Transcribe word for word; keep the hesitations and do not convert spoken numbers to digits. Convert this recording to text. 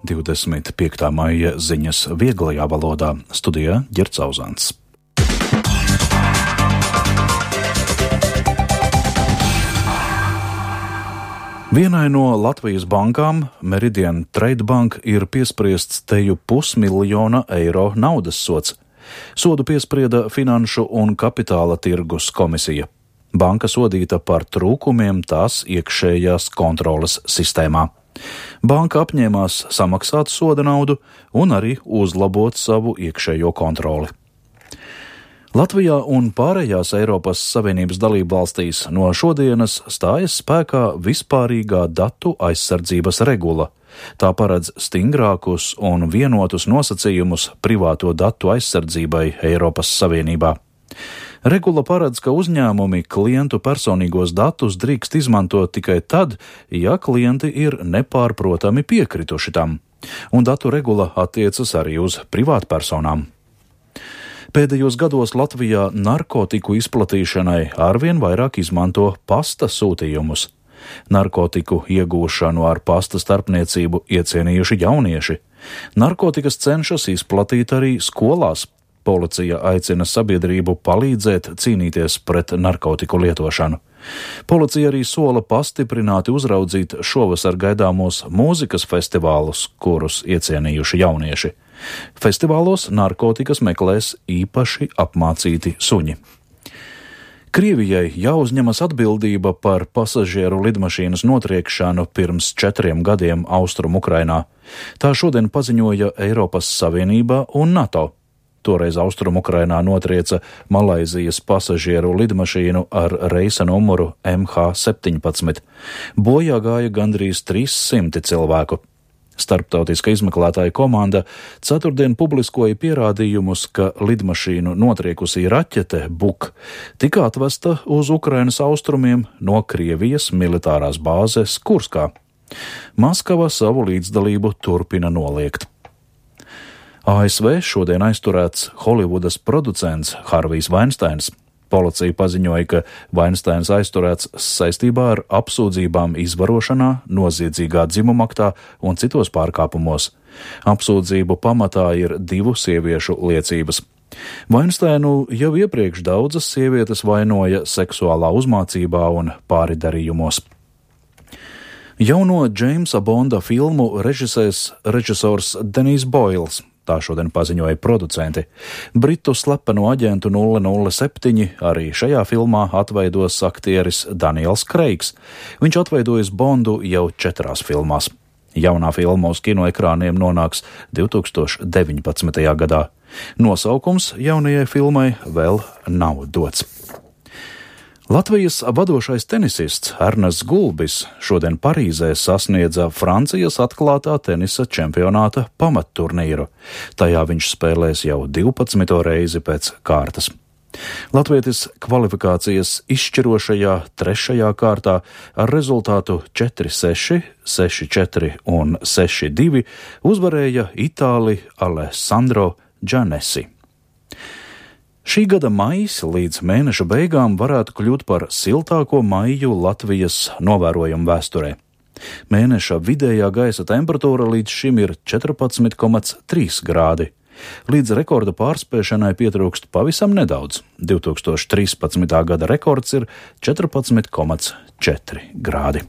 divdesmit piektā maija ziņas vieglajā valodā. Studijā Ģerts Auzāns. Vienai no Latvijas bankām, Meridian Trade Bank, ir piespriests teju pusmiljona eiro naudas sods. Sodu piesprieda Finanšu un kapitāla tirgus komisija. Banka sodīta par trūkumiem tās iekšējās kontroles sistēmā. Banka apņēmās samaksāt soda naudu un arī uzlabot savu iekšējo kontroli. Latvijā un pārējās Eiropas Savienības dalībvalstīs no šodienas stājas spēkā vispārīgā datu aizsardzības regula. Tā paredz stingrākus un vienotus nosacījumus privāto datu aizsardzībai Eiropas Savienībā. Regula paredz, ka uzņēmumi klientu personīgos datus drīkst izmantot tikai tad, ja klienti ir nepārprotami piekrituši tam, un datu regula attiecas arī uz privātpersonām. Pēdējos gados Latvijā narkotiku izplatīšanai arvien vairāk izmanto pasta sūtījumus. Narkotiku iegūšanu ar pasta starpniecību iecienījuši jaunieši. Narkotikas cenšas izplatīt arī skolās. Policija aicina sabiedrību palīdzēt cīnīties pret narkotiku lietošanu. Policija arī sola pastiprināti uzraudzīt šovasar gaidāmos mūzikas festivālus, kurus iecienījuši jaunieši. Festivālos narkotikas meklēs īpaši apmācīti suņi. Krievijai jāuzņemas atbildība par pasažieru lidmašīnas notriekšanu pirms četriem gadiem Austrum Ukrainā. Tā šodien paziņoja Eiropas Savienība un NATO. Toreiz Austrum Ukrainā notrieca Malaizijas pasažieru lidmašīnu ar reisa numuru M H septiņpadsmit. Bojā gāja gandrīz trīs simti cilvēku. Starptautiska izmeklētāja komanda ceturtdien publiskoja pierādījumus, ka lidmašīnu notriekusī raķete Buk tika atvesta uz Ukrainas austrumiem no Krievijas militārās bāzes Kurskā. Maskava savu līdzdalību turpina noliegt. A S V šodien aizturēts Holivudas producents Harvijs Vainsteins. Policija paziņoja, ka Vainsteins aizturēts saistībā ar apsūdzībām izvarošanā, noziedzīgā dzimumaktā un citos pārkāpumos. Apsūdzību pamatā ir divu sieviešu liecības. Vainsteinu jau iepriekš daudzas sievietes vainoja seksuālā uzmācībā un pāridarījumos. Jauno Džeimsa Bonda filmu režisēs režisors Denijs Boils. Tā šodien paziņoja producenti. Britu slepeno aģentu nulle nulle septiņi arī šajā filmā atveidos aktieris Daniels Kreigs. Viņš atveidojas Bondu jau četrās filmās. Jaunā filma uz kinoekrāniem nonāks divtūkstoš deviņpadsmitajā gadā. Nosaukums jaunajai filmai vēl nav dots. Latvijas vadošais tenisists Ernests Gulbis šodien Parīzē sasniedza Francijas atklātā tenisa čempionāta pamatturnīru. Tajā viņš spēlēs jau divpadsmito reizi pēc kārtas. Latvietis kvalifikācijas izšķirošajā trešajā kārtā ar rezultātu četri seši, seši četri un seši divi uzvarēja Itāli Alessandro Giannessi. Šī gada maijs līdz mēneša beigām varētu kļūt par siltāko maiju Latvijas novērojumu vēsturē. Mēneša vidējā gaisa temperatūra līdz šim ir četrpadsmit komats trīs grādi. Līdz rekorda pārspēšanai pietrūkst pavisam nedaudz. divtūkstoš trīspadsmitā gada rekords ir četrpadsmit komats četri grādi.